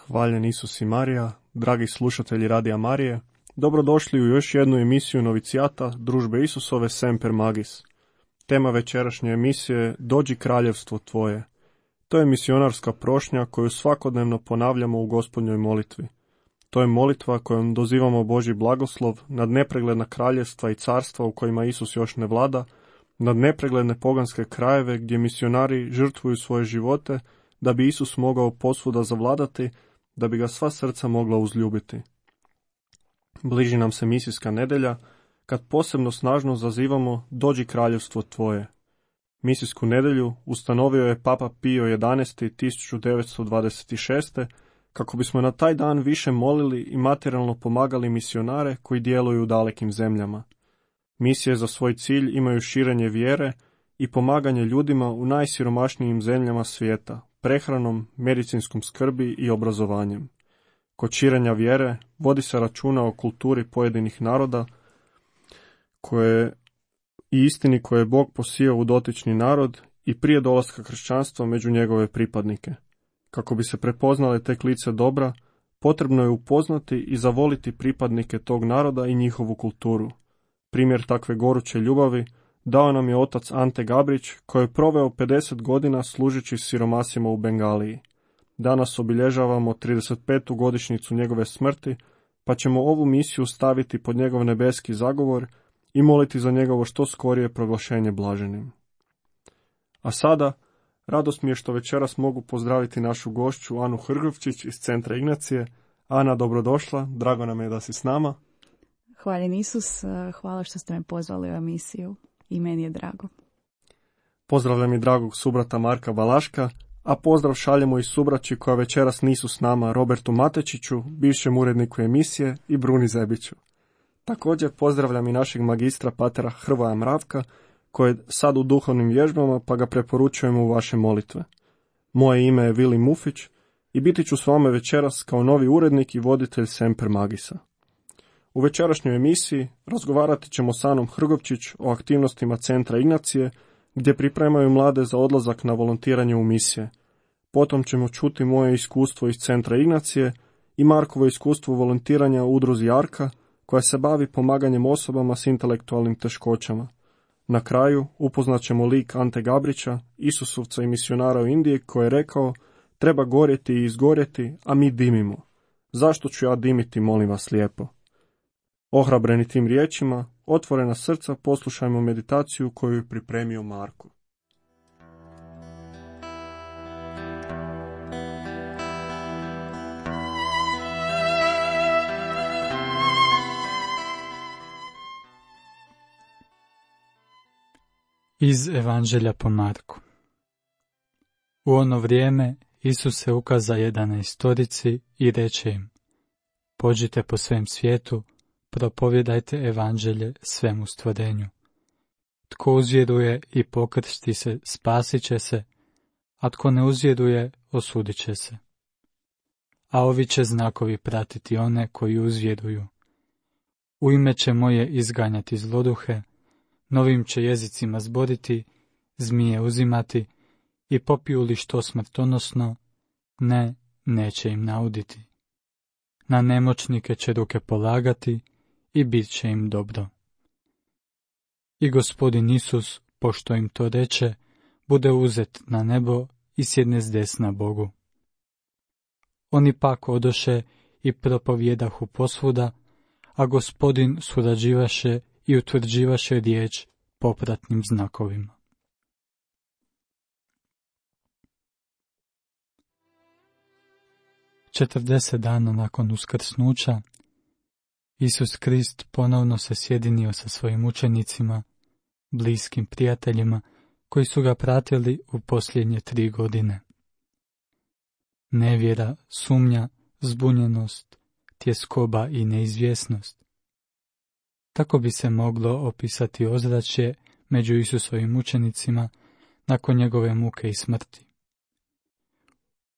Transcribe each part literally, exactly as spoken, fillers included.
hvaljen Isus i Marija, dragi slušatelji Radija Marije, dobrodošli u još jednu emisiju novicijata Družbe Isusove Semper Magis. Tema večerašnje emisije je Dođi kraljevstvo tvoje. To je misionarska prošnja koju svakodnevno ponavljamo u Gospodnjoj molitvi. To je molitva kojom dozivamo Božji blagoslov nad nepregledna kraljevstva i carstva u kojima Isus još ne vlada, nad nepregledne poganske krajeve gdje misionari žrtvuju svoje živote da bi Isus mogao posvuda zavladati, da bi ga sva srca mogla uzljubiti. Bliži nam se misijska nedjelja, kad posebno snažno zazivamo Dođi kraljevstvo tvoje. Misijsku nedjelju ustanovio je Papa Pio jedanaesti. tisuću devetsto dvadeset šeste. kako bismo na taj dan više molili i materijalno pomagali misionare koji djeluju u dalekim zemljama. Misije za svoj cilj imaju širenje vjere i pomaganje ljudima u najsiromašnijim zemljama svijeta, prehranom, medicinskom skrbi i obrazovanjem. Kod širenja vjere vodi se računa o kulturi pojedinih naroda koje i istini koje je Bog posijao u dotični narod i prije dolaska kršćanstva među njegove pripadnike. Kako bi se prepoznale tek lice dobra, potrebno je upoznati i zavoliti pripadnike tog naroda i njihovu kulturu. Primjer takve goruće ljubavi dao nam je otac Ante Gabrić, koji je proveo pedeset godina služeći siromasima u Bengaliji. Danas obilježavamo trideset petu godišnjicu njegove smrti, pa ćemo ovu misiju staviti pod njegov nebeski zagovor i moliti za njegovo što skorije proglašenje blaženim. A sada, radost mi je što večeras mogu pozdraviti našu gošću Anu Hrgovčić iz Centra Ignacije. Ana, dobrodošla, drago nam je da si s nama. Hvaljen Isus, hvala što ste me pozvali u emisiju i meni je drago. Pozdravljam i dragog subrata Marka Balaška, a pozdrav šaljemo i subraći koja večeras nisu s nama, Robertu Matečiću, bivšem uredniku emisije, i Bruni Zebiću. Također pozdravljam i našeg magistra patera Hrvoja Mravka, koji je sad u duhovnim vježbama, pa ga preporučujemo u vaše molitve. Moje ime je Vili Mufić i biti ću s vama večeras kao novi urednik i voditelj Semper Magisa. U večerašnjoj emisiji razgovarati ćemo s Anom Hrgovčić o aktivnostima Centra Ignacije, gdje pripremaju mlade za odlazak na volontiranje u misije. Potom ćemo čuti moje iskustvo iz Centra Ignacije i Markovo iskustvo volontiranja u udruzi Arka, koja se bavi pomaganjem osobama s intelektualnim teškoćama. Na kraju upoznat ćemo lik Ante Gabrića, Isusovca i misionara u Indiji, koji je rekao: treba gorjeti i izgorjeti, a mi dimimo. Zašto ću ja dimiti, molim vas lijepo? Ohrabreni tim riječima, otvorena srca, poslušajmo meditaciju koju je pripremio Marko. Iz Evanđelja po Marku. U ono vrijeme Isus se ukaza jedanaestorici i reče im: pođite po svem svijetu, propovjedajte evanđelje svemu stvorenju. Tko uzvjeruje i pokrsti se, spasit će se, a tko ne uzvjeruje, osudit će se. A ovi će znakovi pratiti one koji uzvjeruju. U ime će moje izganjati zloduhe, novim će jezicima zboriti, zmije uzimati, i popiju li što smrtonosno, ne, neće im nauditi. Na nemoćnike će ruke polagati i bit će im dobro. I Gospodin Isus, pošto im to reče, bude uzet na nebo i sjedne s desna Bogu. Oni pak odoše i propovjedahu posvuda, a Gospodin surađivaše i utvrđivaše riječ popratnim znakovima. Četrdeset dana nakon uskrsnuća, Isus Krist ponovno se sjedinio sa svojim učenicima, bliskim prijateljima, koji su ga pratili u posljednje tri godine. Nevjera, sumnja, zbunjenost, tjeskoba i neizvjesnost. Tako bi se moglo opisati ozračje među Isusovim učenicima nakon njegove muke i smrti.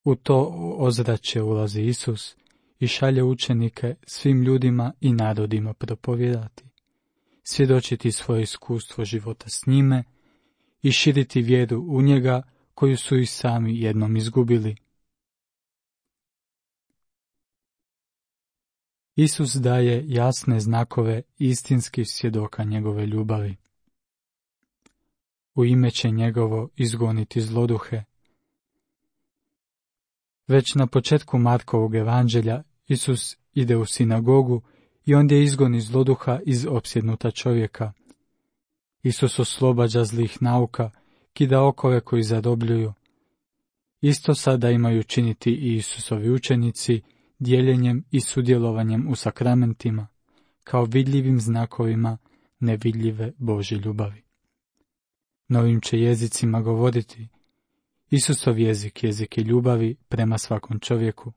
U to ozračje ulazi Isus i šalje učenike svim ljudima i narodima propovijedati, svjedočiti svoje iskustvo života s njime i širiti vjeru u njega koju su i sami jednom izgubili. Isus daje jasne znakove istinskih svjedoka njegove ljubavi. U ime će njegovo izgoniti zloduhe. Već na početku Markovog evanđelja Isus ide u sinagogu i ondje izgoni zloduha iz opsjednuta čovjeka. Isus oslobađa zlih nauka, kida okove koji zarobljuju. Isto sada imaju činiti i Isusovi učenici, dijeljenjem i sudjelovanjem u sakramentima, kao vidljivim znakovima nevidljive Božje ljubavi. Novim će jezicima govoriti. Isusov jezik, jezik je ljubavi prema svakom čovjeku.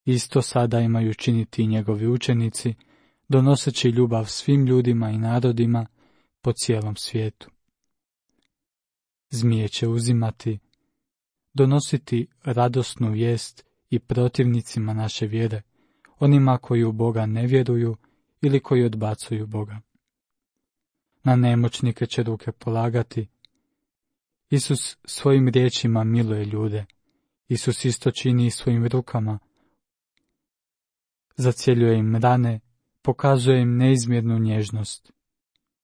Isto sada imaju činiti i njegovi učenici, donoseći ljubav svim ljudima i narodima po cijelom svijetu. Zmije će uzimati, donositi radosnu vijest i protivnicima naše vjere, onima koji u Boga ne vjeruju ili koji odbacuju Boga. Na nemoćnike će ruke polagati. Isus svojim riječima miluje ljude. Isus isto čini i svojim rukama. Zacjeljuje im rane, pokazuje im neizmjernu nježnost.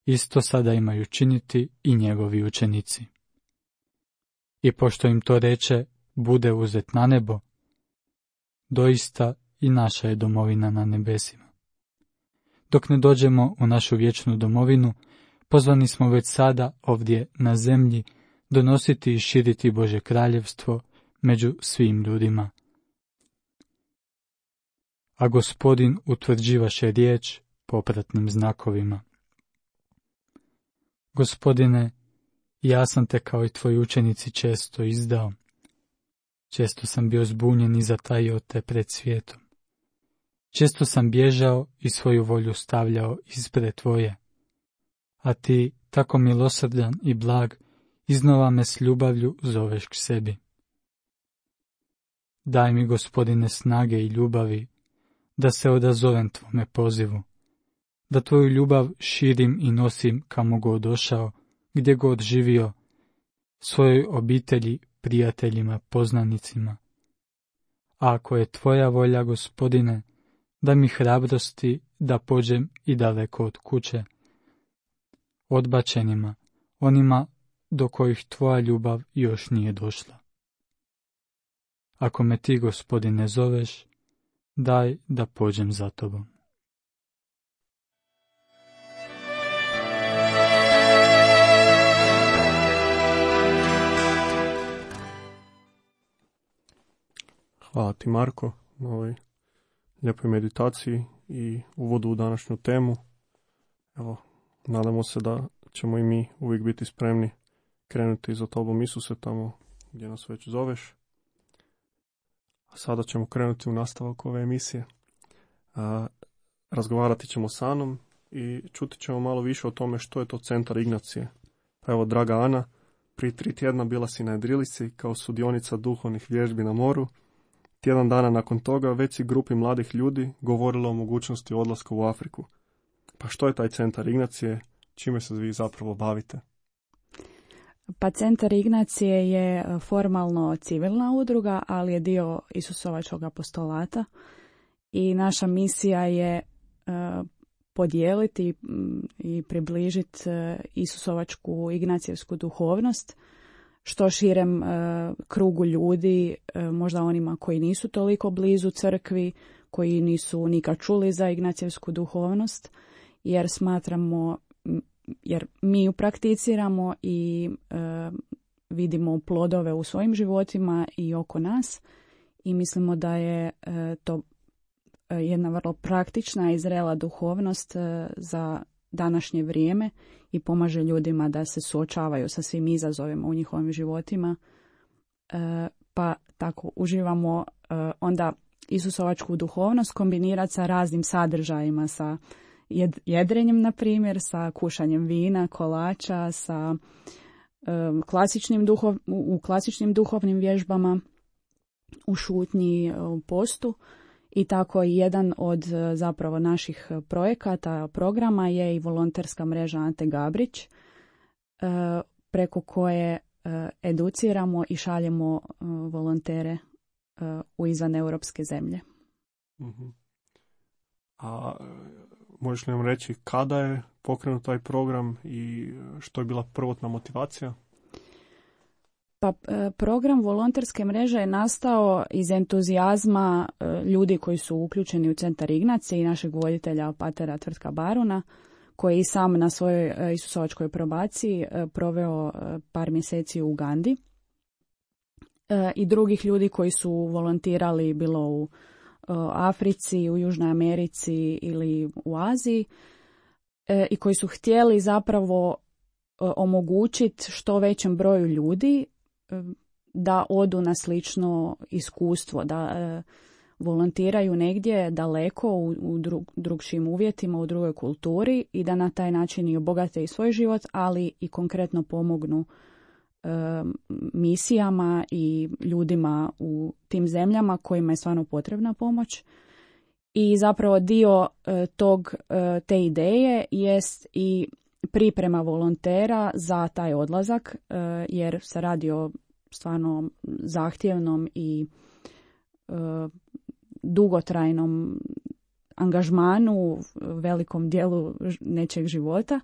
Isto sada imaju činiti i njegovi učenici. I pošto im to reče, bude uzet na nebo, doista i naša je domovina na nebesima. Dok ne dođemo u našu vječnu domovinu, pozvani smo već sada ovdje na zemlji donositi i širiti Božje kraljevstvo među svim ljudima. A Gospodin utvrđivaše riječ popratnim znakovima. Gospodine, ja sam te kao i tvoji učenici često izdao. Često sam bio zbunjen i zatajio te pred svijetom. Često sam bježao i svoju volju stavljao ispred tvoje. A ti, tako milosrdan i blag, iznova me s ljubavlju zoveš k sebi. Daj mi, Gospodine, snage i ljubavi, da se odazovem tvome pozivu, da tvoju ljubav širim i nosim kamo god došao, gdje god živio, svojoj obitelji, prijateljima, poznanicima. A ako je tvoja volja, Gospodine, da mi hrabrosti da pođem i daleko od kuće, odbačenima, onima do kojih tvoja ljubav još nije došla. Ako me ti, Gospodine, zoveš, daj da pođem za tobom. Hvala ti, Marko, na ovoj lijepoj meditaciji i uvodu u današnju temu. Evo, nadamo se da ćemo i mi uvijek biti spremni krenuti za tobom, Isuse, tamo gdje nas već zoveš. A sada ćemo krenuti u nastavak ove emisije. A, razgovarati ćemo s Anom i čuti ćemo malo više o tome što je to Centar Ignacije. Pa evo, draga Ana, prije tri tjedna bila si na jedrilici kao sudionica duhovnih vježbi na moru. Tjedan dana nakon toga već si grupi mladih ljudi govorila o mogućnosti odlaska u Afriku. Pa što je taj Centar Ignacije? Čime se vi zapravo bavite? Pa Centar Ignacije je formalno civilna udruga, ali je dio Isusovačkog apostolata i naša misija je uh, podijeliti i približiti uh, Isusovačku ignacijevsku duhovnost što širem uh, krugu ljudi, uh, možda onima koji nisu toliko blizu crkvi, koji nisu nikad čuli za ignacijevsku duhovnost, jer smatramo, jer mi ju prakticiramo i uh, vidimo plodove u svojim životima i oko nas i mislimo da je uh, to jedna vrlo praktična i zrela duhovnost uh, za današnje vrijeme i pomaže ljudima da se suočavaju sa svim izazovima u njihovim životima. Uh, pa tako uživamo uh, onda Isusovačku duhovnost kombinirati sa raznim sadržajima, sa jedrenjem, na primjer, sa kušanjem vina, kolača, sa um, klasičnim duhov, u klasičnim duhovnim vježbama, u šutnji, u postu. I tako jedan od zapravo naših projekata, programa je i volonterska mreža Ante Gabrić, preko koje educiramo i šaljemo volontere u izvan europske zemlje. Mm-hmm. A možeš li nam reći kada je pokrenut taj program i što je bila prvotna motivacija? Pa program volonterske mreže je nastao iz entuzijazma ljudi koji su uključeni u Centar Ignacije i našeg voditelja patera Tvrtka Baruna, koji je i sam na svojoj isusovačkoj probaciji proveo par mjeseci u Ugandi, i drugih ljudi koji su volontirali bilo u Africi, u Južnoj Americi ili u Aziji, i koji su htjeli zapravo omogućiti što većem broju ljudi da odu na slično iskustvo, da volontiraju negdje daleko u, u drug, drugšim uvjetima, u drugoj kulturi i da na taj način i obogate i svoj život, ali i konkretno pomognu e, misijama i ljudima u tim zemljama kojima je stvarno potrebna pomoć. I zapravo dio e, tog, e, te ideje jest i priprema volontera za taj odlazak, e, jer se radi o stvarno zahtjevnom i e, dugotrajnom angažmanu u velikom dijelu nečeg života,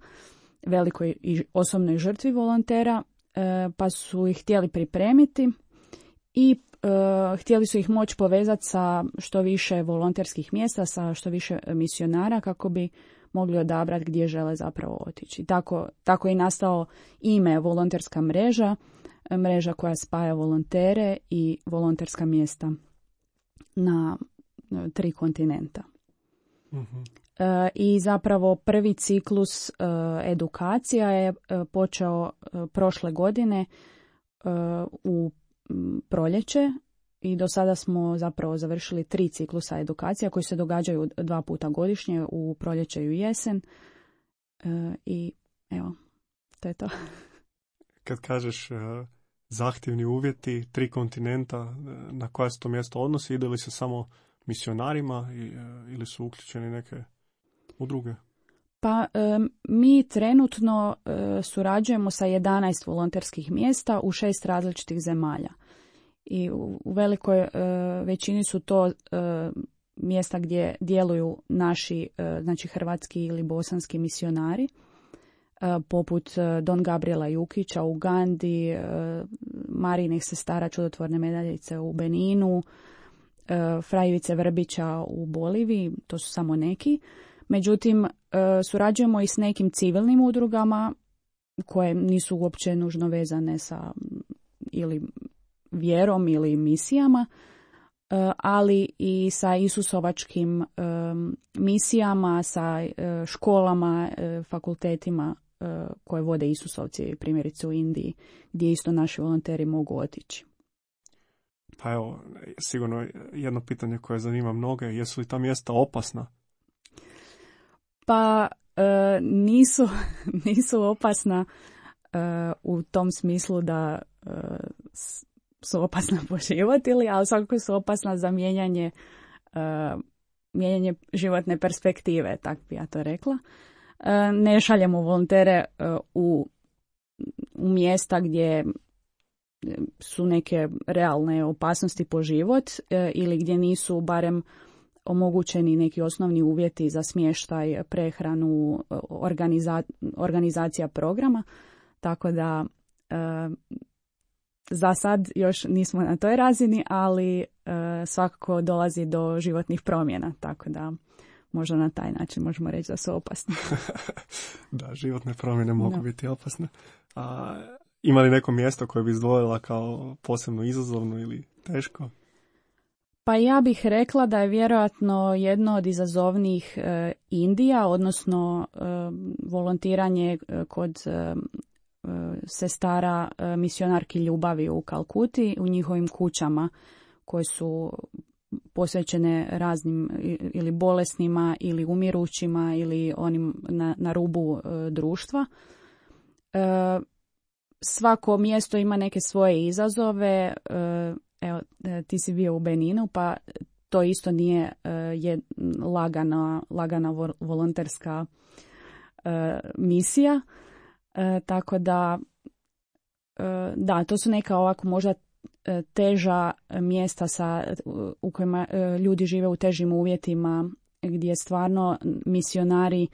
velikoj i osobnoj žrtvi volontera, e, pa su ih htjeli pripremiti i e, htjeli su ih moći povezati sa što više volonterskih mjesta, sa što više misionara kako bi mogli odabrati gdje žele zapravo otići. Tako, tako je nastao ime volonterska mreža, mreža koja spaja volontere i volonterska mjesta na tri kontinenta. Mm-hmm. E, I zapravo prvi ciklus e, edukacija je e, počeo e, prošle godine e, u m, proljeće i do sada smo zapravo završili tri ciklusa edukacija koji se događaju dva puta godišnje u proljeće i u jesen. E, I evo, to je to. Kad kažeš uh, zahtjevni uvjeti, tri kontinenta, na koja se to mjesto odnosi, ide li se samo misionarima i, uh, ili su uključeni neke udruge? Pa um, mi trenutno uh, surađujemo sa jedanaest volonterskih mjesta u šest različitih zemalja. I u, u velikoj uh, većini su to uh, mjesta gdje djeluju naši, uh, znači hrvatski ili bosanski misionari, poput Don Gabriela Jukića u Ugandi, Marijinih sestara čudotvorne medaljice u Beninu, Frajivice Vrbića u Boliviji, to su samo neki. Međutim, surađujemo i s nekim civilnim udrugama koje nisu uopće nužno vezane sa ili vjerom ili misijama, ali i sa isusovačkim misijama, sa školama, fakultetima koje vode Isusovci, primjerice u Indiji, gdje isto naši volonteri mogu otići. Pa evo, sigurno jedno pitanje koje zanima mnoge, jesu li ta mjesta opasna? Pa e, nisu, nisu opasna e, u tom smislu da e, su opasna po život, ili, ali svakako su opasna za mijenjanje, e, mijenjanje životne perspektive, tako bi ja to rekla. Ne šaljemo volontere u, u mjesta gdje su neke realne opasnosti po život ili gdje nisu barem omogućeni neki osnovni uvjeti za smještaj, prehranu, organiza, organizacija programa. Tako da za sad još nismo na toj razini, ali svakako dolazi do životnih promjena, tako da možda na taj način možemo reći da su opasne. Da, životne promjene mogu no. biti opasne. A ima li neko mjesto koje bi izdvojila kao posebno izazovno ili teško? Pa ja bih rekla da je vjerojatno jedno od izazovnijih e, Indija, odnosno e, volontiranje kod e, sestara e, misionarki ljubavi u Kalkuti, u njihovim kućama koje su posvećene raznim ili bolesnima ili umirućima ili onim na, na rubu e, društva. E, svako mjesto ima neke svoje izazove. E, evo, ti si bio u Beninu, pa to isto nije e, je lagana, lagana volonterska e, misija. E, tako da, e, da, to su neka ovako možda teža mjesta sa, u kojima ljudi žive u težim uvjetima gdje stvarno misionari e,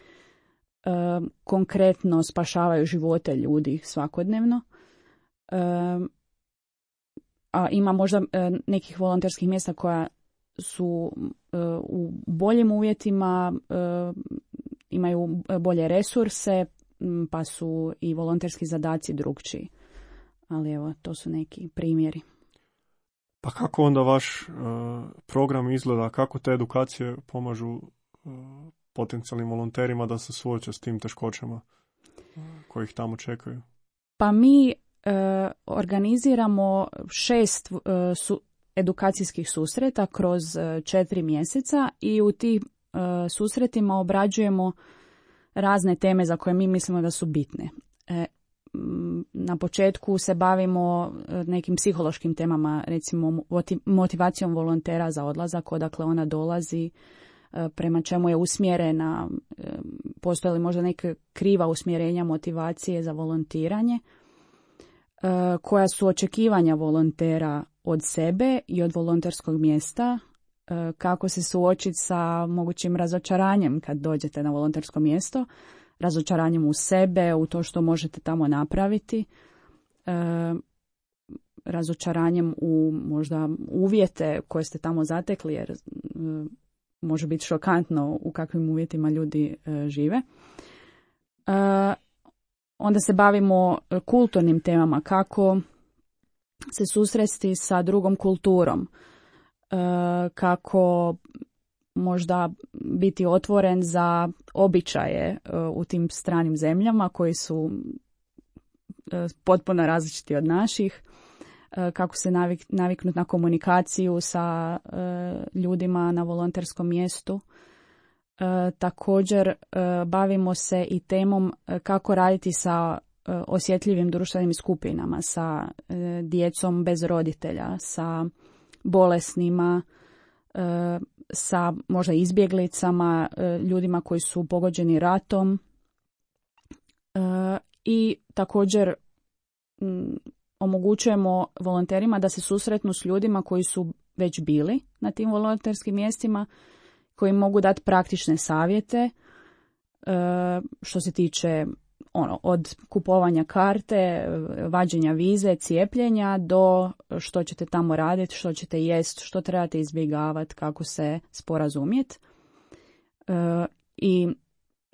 konkretno spašavaju živote ljudi svakodnevno. E, a ima možda e, nekih volonterskih mjesta koja su e, u boljim uvjetima, e, imaju bolje resurse, pa su i volonterski zadaci drukčiji. Ali evo, to su neki primjeri. Pa kako onda vaš uh, program izgleda? Kako te edukacije pomažu uh, potencijalnim volonterima da se suoče s tim teškoćama uh, koji ih tamo čekaju? Pa mi uh, organiziramo šest uh, su, edukacijskih susreta kroz uh, četiri mjeseca i u tim uh, susretima obrađujemo razne teme za koje mi mislimo da su bitne. E, na početku se bavimo nekim psihološkim temama, recimo motivacijom volontera za odlazak, odakle ona dolazi, prema čemu je usmjerena, postoje li možda neka kriva usmjerenja motivacije za volontiranje, koja su očekivanja volontera od sebe i od volonterskog mjesta, kako se suočiti sa mogućim razočaranjem kad dođete na volontersko mjesto, razočaranjem u sebe, u to što možete tamo napraviti, e, razočaranjem u možda uvjete koje ste tamo zatekli, jer e, može biti šokantno u kakvim uvjetima ljudi e, žive. E, onda se bavimo kulturnim temama, kako se susresti sa drugom kulturom, e, kako možda biti otvoren za običaje u tim stranim zemljama koji su potpuno različiti od naših, kako se navik, naviknuti na komunikaciju sa ljudima na volonterskom mjestu. Također bavimo se i temom kako raditi sa osjetljivim društvenim skupinama, sa djecom bez roditelja, sa bolesnima, sa možda izbjeglicama, ljudima koji su pogođeni ratom i također omogućujemo volonterima da se susretnu s ljudima koji su već bili na tim volonterskim mjestima, koji mogu dati praktične savjete što se tiče ono, od kupovanja karte, vađenja vize, cijepljenja do što ćete tamo raditi, što ćete jest, što trebate izbjegavati, kako se sporazumjeti. E, I,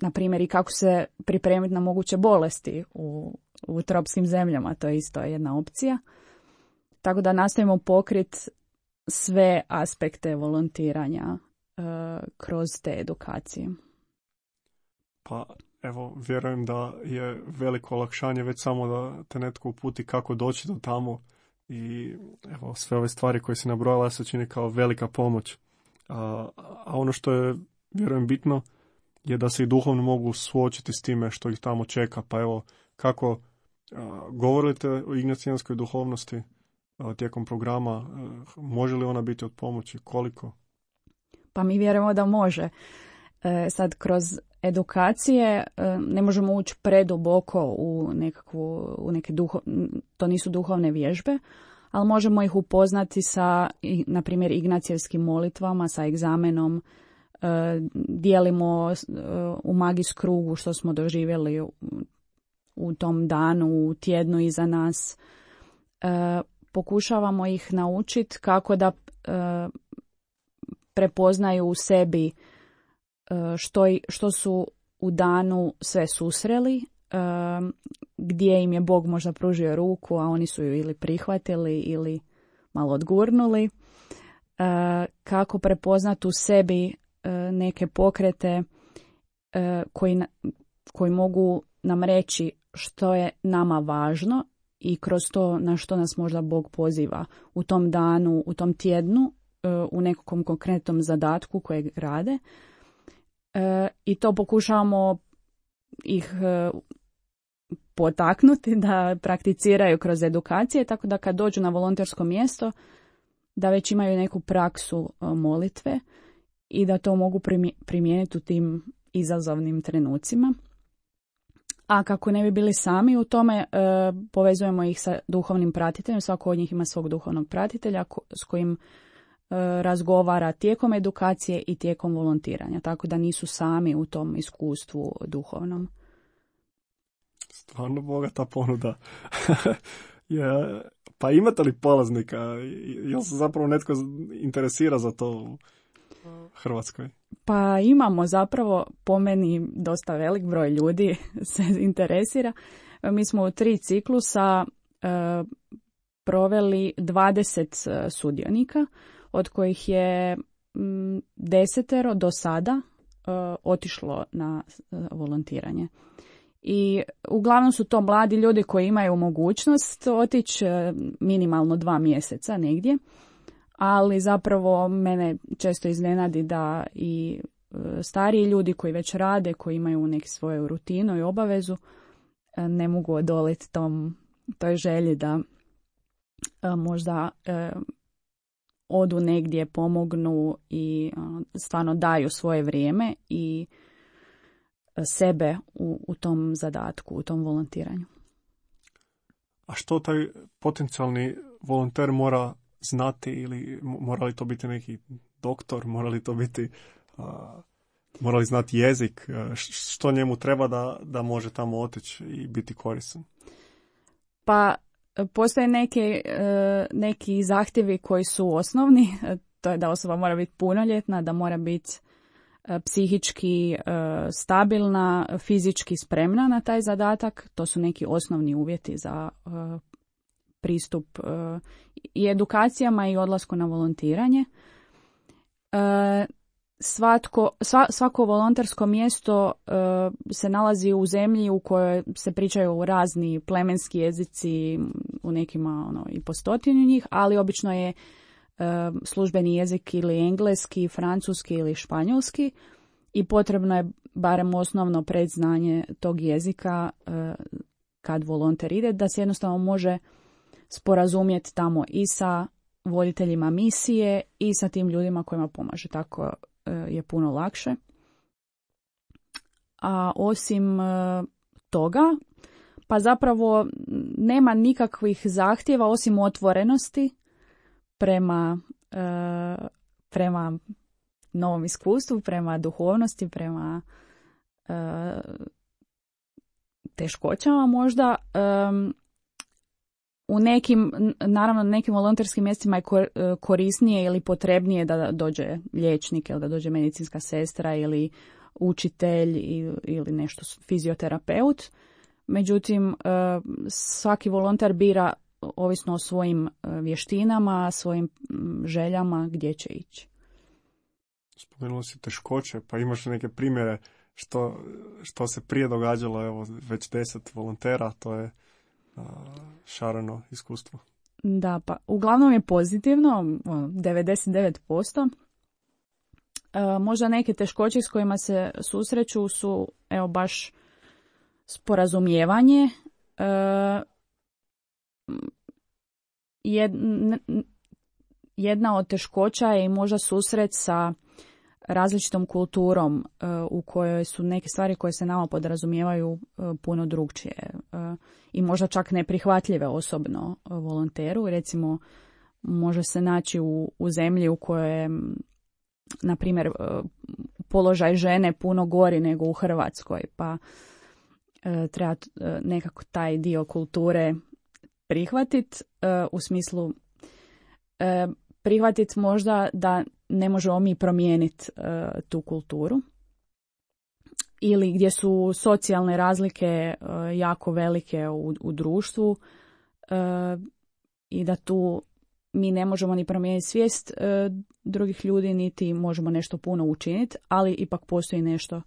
na primjer, i kako se pripremiti na moguće bolesti u, u tropskim zemljama, to je isto jedna opcija. Tako da nastavimo pokriti sve aspekte volontiranja e, kroz te edukacije. Pa evo, vjerujem da je veliko olakšanje već samo da te netko uputi kako doći do tamo i evo, sve ove stvari koje si nabrojala se čini kao velika pomoć. A, a ono što je, vjerujem, bitno je da se i duhovno mogu suočiti s time što ih tamo čeka. Pa evo, kako a, govorite o ignacijanskoj duhovnosti a, tijekom programa, a, može li ona biti od pomoći, koliko? Pa mi vjerujemo da može. E, sad, kroz edukacije ne možemo ući preduboko u nekakvu, u neke duho, to nisu duhovne vježbe, ali možemo ih upoznati sa, na primjer, ignacijevskim molitvama, sa egzamenom, dijelimo u magis krugu što smo doživjeli u tom danu, u tjednu iza nas. Pokušavamo ih naučiti kako da prepoznaju u sebi Što, što su u danu sve susreli, gdje im je Bog možda pružio ruku, a oni su ju ili prihvatili ili malo odgurnuli, kako prepoznati u sebi neke pokrete koji, koji mogu nam reći što je nama važno i kroz to na što nas možda Bog poziva u tom danu, u tom tjednu, u nekom konkretnom zadatku kojeg rade. E, I to pokušavamo ih e, potaknuti da prakticiraju kroz edukacije, tako da kad dođu na volontersko mjesto da već imaju neku praksu e, molitve i da to mogu primijeniti u tim izazovnim trenucima. A kako ne bi bili sami u tome, e, povezujemo ih sa duhovnim pratiteljem, svako od njih ima svog duhovnog pratitelja ko, s kojim razgovara tijekom edukacije i tijekom volontiranja, tako da nisu sami u tom iskustvu duhovnom. Stvarno bogata ponuda. Je, pa imate li polaznika? Jel se zapravo netko interesira za to u Hrvatskoj? Pa imamo zapravo, po meni, dosta velik broj ljudi se interesira. Mi smo u tri ciklusa e, proveli dvadeset sudionika, od kojih je m, desetero do sada e, otišlo na e, volontiranje. I uglavnom su to mladi ljudi koji imaju mogućnost otići e, minimalno dva mjeseca negdje, ali zapravo mene često iznenadi da i e, stariji ljudi koji već rade, koji imaju neku svoju rutinu i obavezu, e, ne mogu odoliti tom, toj želji da e, možda e, odu negdje, pomognu i e, stvarno daju svoje vrijeme i sebe u, u tom zadatku, u tom volontiranju. A što taj potencijalni volonter mora znati, ili mora li to biti neki doktor, mora li to biti, uh, mora li znati jezik, što njemu treba da, da može tamo otići i biti koristan? Pa postoje neke, neki zahtjevi koji su osnovni, to je da osoba mora biti punoljetna, da mora biti psihički stabilna, fizički spremna na taj zadatak. To su neki osnovni uvjeti za pristup i edukacijama i odlasku na volontiranje. Svatko, sva, svako volontersko mjesto se nalazi u zemlji u kojoj se pričaju razni plemenski jezici, u nekima ono, i po stotinu njih, ali obično je službeni jezik ili engleski, francuski ili španjolski i potrebno je barem osnovno predznanje tog jezika kad volonter ide, da se jednostavno može sporazumjeti tamo i sa voditeljima misije i sa tim ljudima kojima pomaže. Tako je puno lakše. A osim toga, pa zapravo nema nikakvih zahtjeva osim otvorenosti prema, prema novom iskustvu, prema duhovnosti, prema teškoćama možda. U nekim, naravno nekim volonterskim mjestima je korisnije ili potrebnije da dođe liječnik ili da dođe medicinska sestra ili učitelj ili nešto fizioterapeut. Međutim, svaki volonter bira ovisno o svojim vještinama, svojim željama gdje će ići. Spomenula si teškoće, pa imaš neke primjere što, što se prije događalo, evo već deset volontera, to je šareno iskustvo. Da, pa uglavnom je pozitivno, devedeset devet posto. E, možda neke teškoće s kojima se susreću su, evo, baš sporazumijevanje. E, jedna od teškoća je i možda susret sa različitom kulturom u kojoj su neke stvari koje se nama podrazumijevaju puno drugčije i možda čak neprihvatljive osobno volonteru. Recimo, može se naći u, u zemlji u kojoj je, na primjer, položaj žene puno gori nego u Hrvatskoj, pa treba nekako taj dio kulture prihvatiti u smislu prihvatiti možda da ne možemo mi promijeniti uh, tu kulturu ili gdje su socijalne razlike uh, jako velike u, u društvu uh, i da tu mi ne možemo ni promijeniti svijest uh, drugih ljudi, niti možemo nešto puno učiniti, ali ipak postoji nešto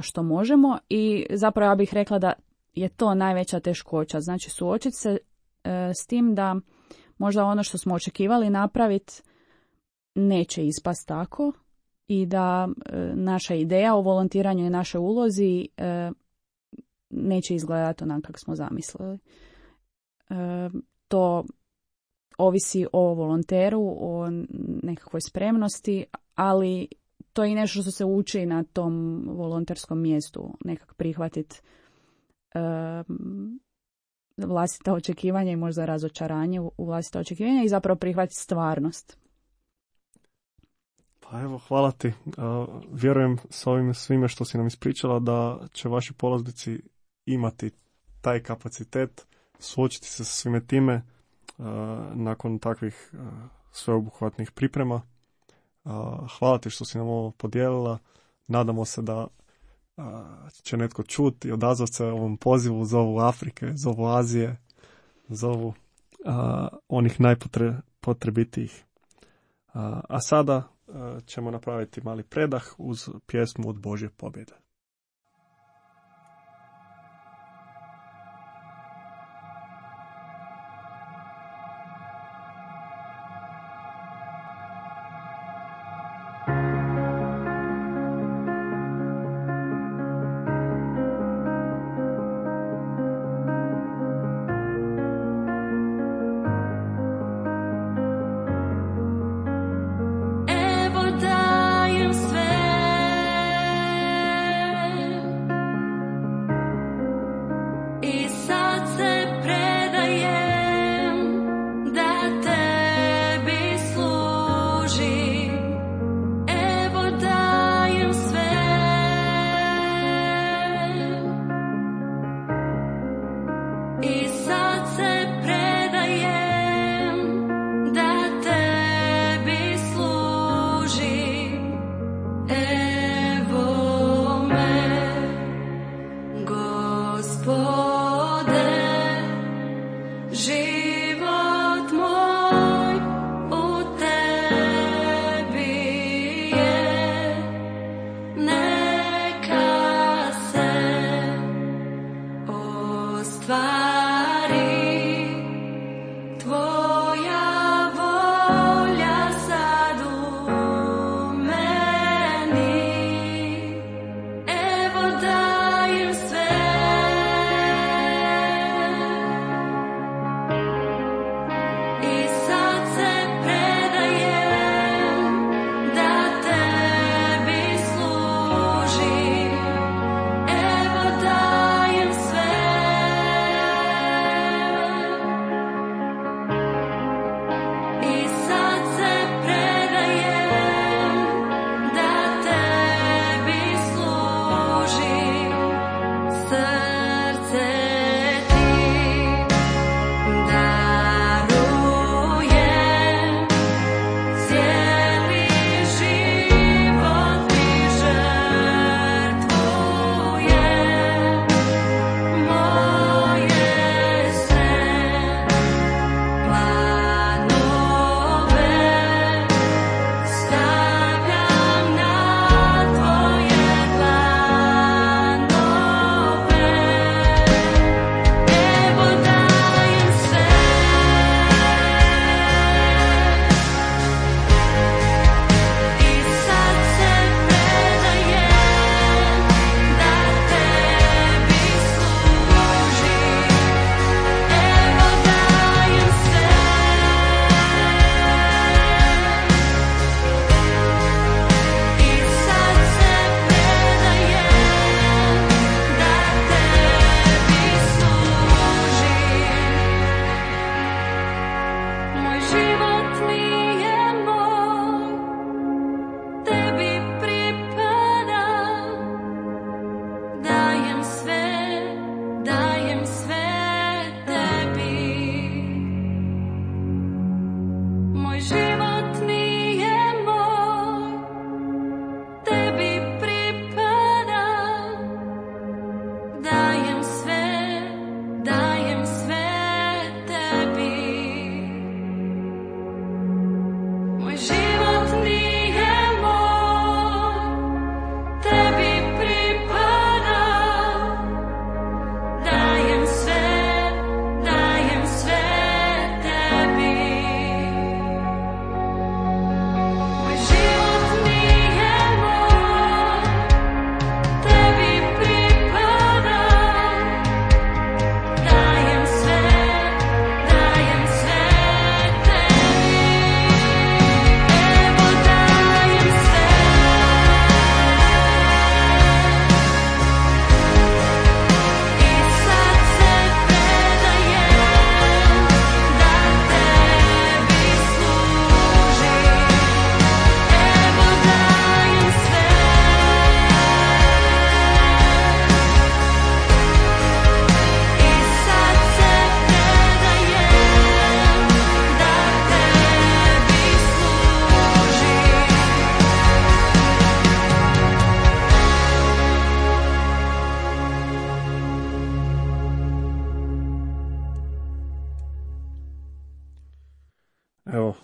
što možemo i zapravo ja bih rekla da je to najveća teškoća. Znači suočiti se uh, s tim da možda ono što smo očekivali napraviti neće ispast tako i da e, naša ideja o volontiranju i našoj ulozi e, neće izgledati onako kako smo zamislili. E, to ovisi o volonteru, o nekakvoj spremnosti, ali to je i nešto što se uči na tom volonterskom mjestu, nekak prihvatiti e, vlastita očekivanja i možda razočaranje u vlastita očekivanja i zapravo prihvatiti stvarnost. Pa evo, hvala ti. Uh, vjerujem s ovim svime što si nam ispričala da će vaši polaznici imati taj kapacitet, suočiti se sa svime time uh, nakon takvih uh, sveobuhvatnih priprema. Uh, hvala ti što si nam ovo podijelila. Nadamo se da uh, će netko čuti i odazvati se ovom pozivu, zovu Afrike, zovu Azije, zovu uh, onih najpotrebitijih. Uh, a sada uh, ćemo napraviti mali predah uz pjesmu Od Božje pobjede.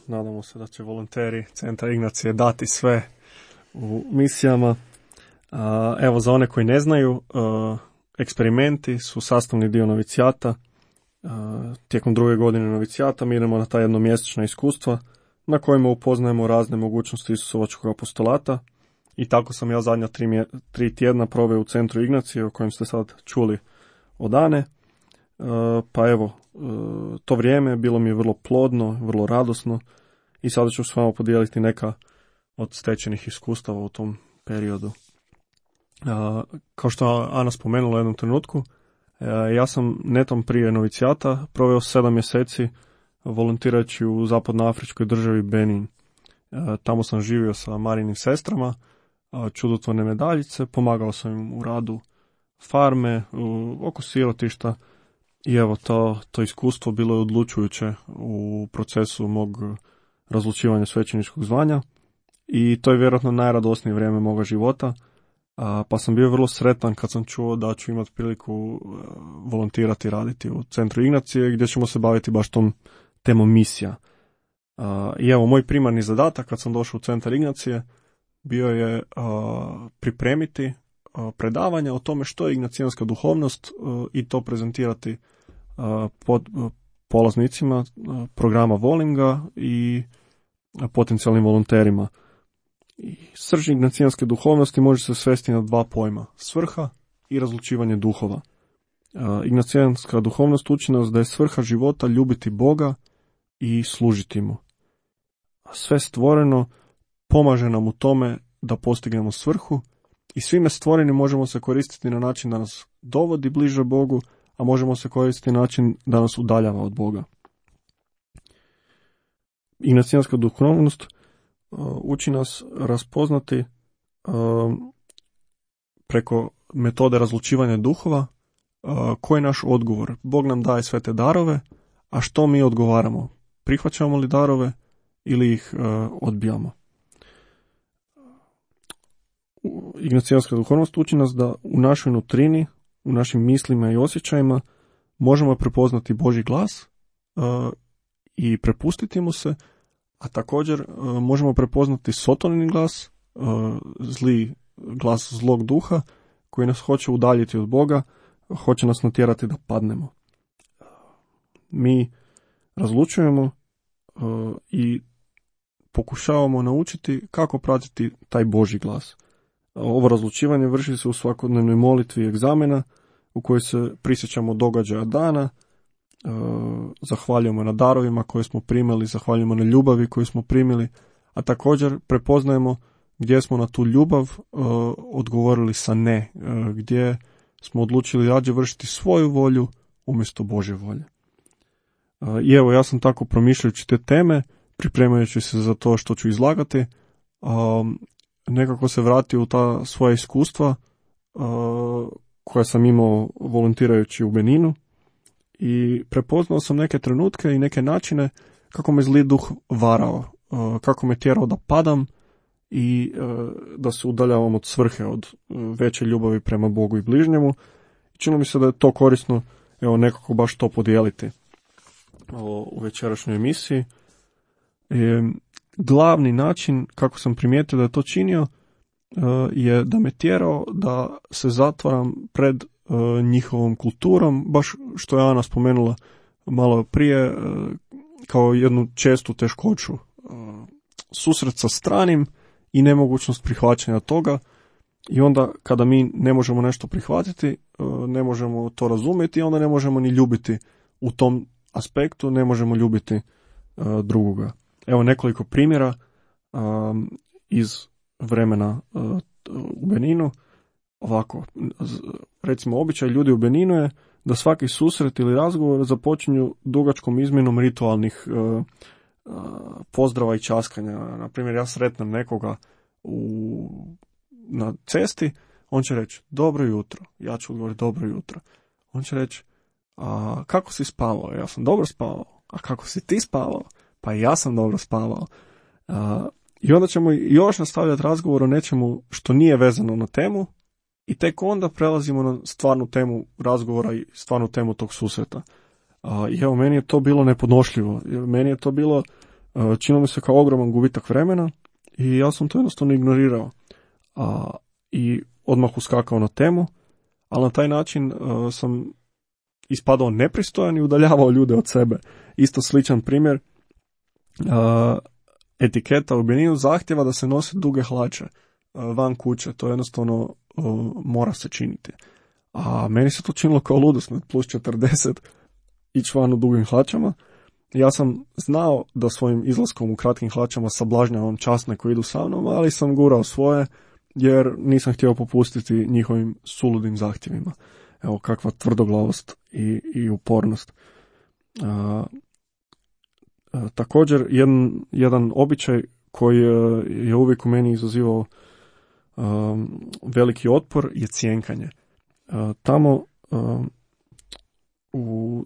nadamo se da će volonteri Centra Ignacije dati sve u misijama. Evo, za one koji ne znaju, eksperimenti su sastavni dio novicijata. Tijekom druge godine novicijata mi idemo na ta jednomjesečna iskustva na kojima upoznajemo razne mogućnosti Isusovačkog apostolata. I tako sam ja zadnja tri, mje, tri tjedna proveo u Centru Ignacije, o kojem ste sad čuli od Ane. Pa evo, to vrijeme bilo mi je vrlo plodno, vrlo radosno i sada ću s vama podijeliti neka od stečenih iskustava u tom periodu. Kao što je Ana spomenula u jednom trenutku, ja sam netom prije novicijata proveo sedam mjeseci volontirajući u zapadnoafričkoj državi Benin. Tamo sam živio sa Marinim sestrama, čudotvorne medaljice, pomagao sam im u radu farme, oko sirotišta i evo to, to iskustvo bilo je odlučujuće u procesu mog razlučivanja svećeničkog zvanja i to je vjerojatno najradosnije vrijeme moga života, pa sam bio vrlo sretan kad sam čuo da ću imati priliku volontirati, raditi u Centru Ignacije gdje ćemo se baviti baš tom temom misija. I evo, moj primarni zadatak kad sam došao u Centar Ignacije bio je uh, pripremiti uh, predavanja o tome što je ignacijanska duhovnost uh, i to prezentirati uh, pod uh, polaznicima uh, programa Volinga i uh, potencijalnim volonterima. I srž ignacijanske duhovnosti može se svesti na dva pojma, svrha i razlučivanje duhova. Uh, ignacijanska duhovnost uči nas da je svrha života ljubiti Boga i služiti mu. Sve stvoreno pomaže nam u tome da postignemo svrhu i svime stvorenim možemo se koristiti na način da nas dovodi bliže Bogu, a možemo se koristiti na način da nas udaljava od Boga. Ignacijanska duhovnost uh, uči nas raspoznati uh, preko metode razlučivanja duhova uh, koji je naš odgovor. Bog nam daje sve te darove, a što mi odgovaramo? Prihvaćamo li darove ili ih uh, odbijamo? Ignacijanska duhovnost uči nas da u našoj nutrini, u našim mislima i osjećajima možemo prepoznati Božji glas uh, i prepustiti mu se, a također uh, možemo prepoznati sotonini glas, uh, zli glas zlog duha koji nas hoće udaljiti od Boga, hoće nas natjerati da padnemo. Mi razlučujemo uh, i pokušavamo naučiti kako pratiti taj Božji glas. Ovo razlučivanje vrši se u svakodnevnoj molitvi egzamena u kojoj se prisjećamo događaja dana, e, zahvaljujemo na darovima koje smo primili, zahvaljujemo na ljubavi koju smo primili, a također prepoznajemo gdje smo na tu ljubav e, odgovorili sa ne, e, gdje smo odlučili rađe vršiti svoju volju umjesto Božje volje. E, I evo, ja sam tako promišljajući te teme, pripremajući se za to što ću izlagati, a, nekako se vratio u ta svoja iskustva a, koja sam imao volontirajući u Beninu i prepoznao sam neke trenutke i neke načine kako me zli duh varao, a, kako me tjerao da padam i a, da se udaljavam od svrhe, od a, veće ljubavi prema Bogu i bližnjemu. Čini mi se da je to korisno, evo, nekako baš to podijeliti o, u večerašnjoj emisiji. E, glavni način kako sam primijetio da je to činio e, je da me tjerao da se zatvaram pred e, njihovom kulturom, baš što je Ana spomenula malo prije, e, kao jednu čestu teškoću. E, susret sa stranim i nemogućnost prihvaćanja toga, i onda kada mi ne možemo nešto prihvatiti, e, ne možemo to razumjeti, onda ne možemo ni ljubiti u tom aspektu, ne možemo ljubiti e, drugoga. Evo nekoliko primjera um, iz vremena uh, u Beninu. Ovako, recimo, običaj ljudi u Beninu je da svaki susret ili razgovor započinju dugačkom izmjenom ritualnih uh, uh, pozdrava i časkanja. Na primjer, ja sretnem nekoga u, na cesti, on će reći dobro jutro, ja ću odgovoriti dobro jutro. On će reći, a kako si spavao? Ja sam dobro spavao. A kako si ti spavao? Pa i ja sam dobro spavao. Uh, I onda ćemo još nastavljati razgovor o nečemu što nije vezano na temu i tek onda prelazimo na stvarnu temu razgovora i stvarnu temu tog susreta. Uh, I evo, meni je to bilo nepodnošljivo. Meni je to bilo činilo mi se kao ogroman gubitak vremena i ja sam to jednostavno ignorirao. A, I odmah uskakao na temu, ali na taj način uh, sam ispadao nepristojan i udaljavao ljude od sebe. Isto sličan primjer, uh, etiketa u Beninu zahtjeva da se nose duge hlače uh, van kuće, to jednostavno uh, mora se činiti. A meni se to činilo kao ludost, plus četrdeset, ići van u dugim hlačama. Ja sam znao da svojim izlaskom u kratkim hlačama sablažnjavam časne koji idu sa mnom, ali sam gurao svoje, jer nisam htio popustiti njihovim suludim zahtjevima. Evo kakva tvrdoglavost i, i upornost. A, a, također, jedan, jedan običaj koji je uvijek u meni izazivao a, veliki otpor je cjenkanje. A, tamo a, u,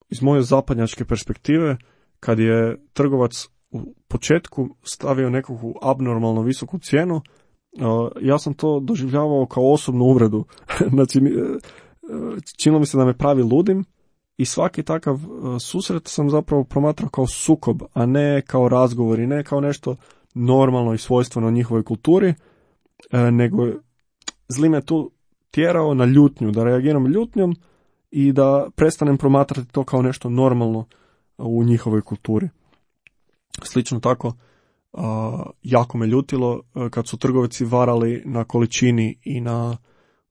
iz moje zapadnjačke perspektive, kad je trgovac u početku stavio nekakvu abnormalno visoku cijenu, Uh, ja sam to doživljavao kao osobnu uvredu. Znači, činilo mi se da me pravi ludim i svaki takav uh, susret sam zapravo promatrao kao sukob, a ne kao razgovor i ne kao nešto normalno i svojstveno njihovoj kulturi, uh, nego zli me tu tjerao na ljutnju, da reagiram ljutnjom i da prestanem promatrati to kao nešto normalno u njihovoj kulturi. Slično tako, Uh, jako me ljutilo uh, kad su trgovci varali na količini i na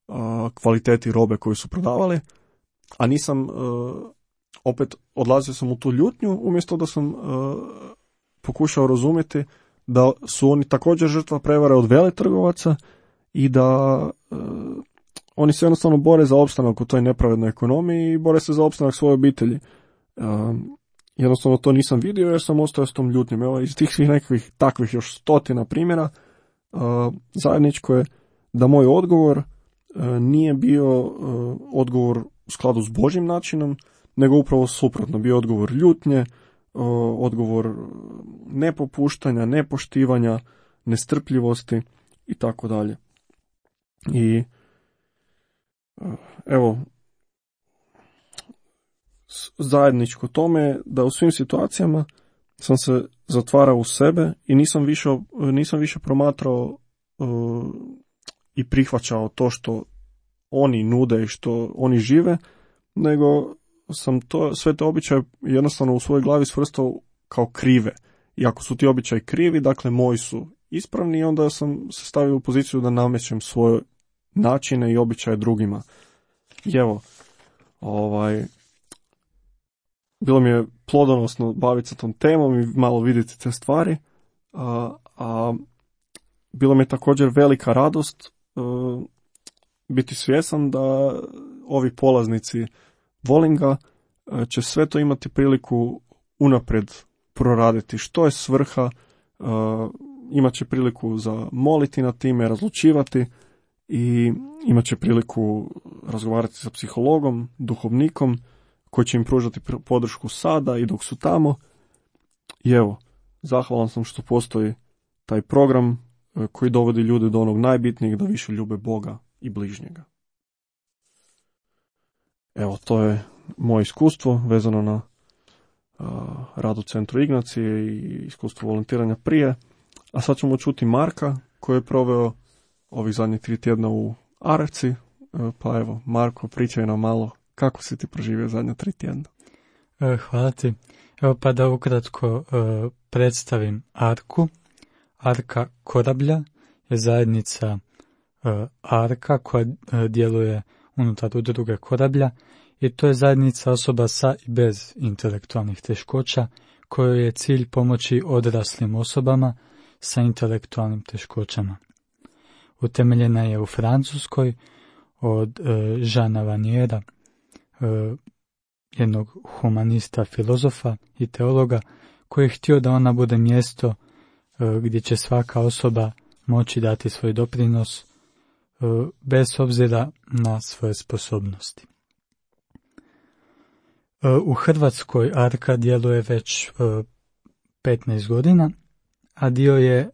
uh, kvaliteti robe koju su prodavali, a nisam, uh, opet odlazio sam u tu ljutnju umjesto da sam uh, pokušao razumjeti da su oni također žrtva prevare od veletrgovaca i da uh, oni se jednostavno bore za opstanak u toj nepravednoj ekonomiji i bore se za opstanak svoje obitelji. Uh, Jednostavno to nisam vidio jer sam ostao s tom ljutnjom. Evo, iz tih svih nekakvih takvih još stotina primjera, uh, zajedničko je da moj odgovor uh, nije bio uh, odgovor u skladu s Božjim načinom, nego upravo suprotno. Bio odgovor ljutnje, uh, odgovor nepopuštanja, nepoštivanja, nestrpljivosti i tako dalje. I uh, evo, zajedničko tome da u svim situacijama sam se zatvarao u sebe i nisam više, nisam više promatrao uh, i prihvaćao to što oni nude i što oni žive, nego sam to, sve te običaje jednostavno u svojoj glavi svrstao kao krive. I ako su ti običaji krivi, dakle moji su ispravni, i onda sam se stavio u poziciju da namećem svoje načine i običaje drugima. I evo, ovaj... bilo mi je plodonosno baviti se tom temom i malo vidjeti te stvari, a, a bilo mi je također velika radost a, biti svjesan da ovi polaznici Volinga a, će sve to imati priliku unaprijed proraditi. Što je svrha, a, imat će priliku za moliti na time, razlučivati i imat će priliku razgovarati sa psihologom, duhovnikom, koji će im pružati podršku sada i dok su tamo. I evo, zahvalan sam što postoji taj program koji dovodi ljude do onog najbitnijeg, da više ljube Boga i bližnjega. Evo, to je moje iskustvo vezano na uh, rad u Centru Ignacije i iskustvo volontiranja prije. A sad ćemo čuti Marka koji je proveo ovih zadnjih tri tjedna u Aravci. Uh, pa evo, Marko, pričaj nam malo kako si ti proživio zadnja tri tjedna. Hvala ti. Evo pa da ukratko uh, predstavim Arku. Arka Korablja je zajednica uh, Arka koja uh, djeluje unutar udruge Korablja i to je zajednica osoba sa i bez intelektualnih teškoća kojoj je cilj pomoći odraslim osobama sa intelektualnim teškoćama. Utemeljena je u Francuskoj od uh, Jeana Vaniera, uh, jednog humanista, filozofa i teologa koji je htio da ona bude mjesto uh, gdje će svaka osoba moći dati svoj doprinos uh, bez obzira na svoje sposobnosti. Uh, u Hrvatskoj Arka djeluje već uh, petnaest godina, a dio je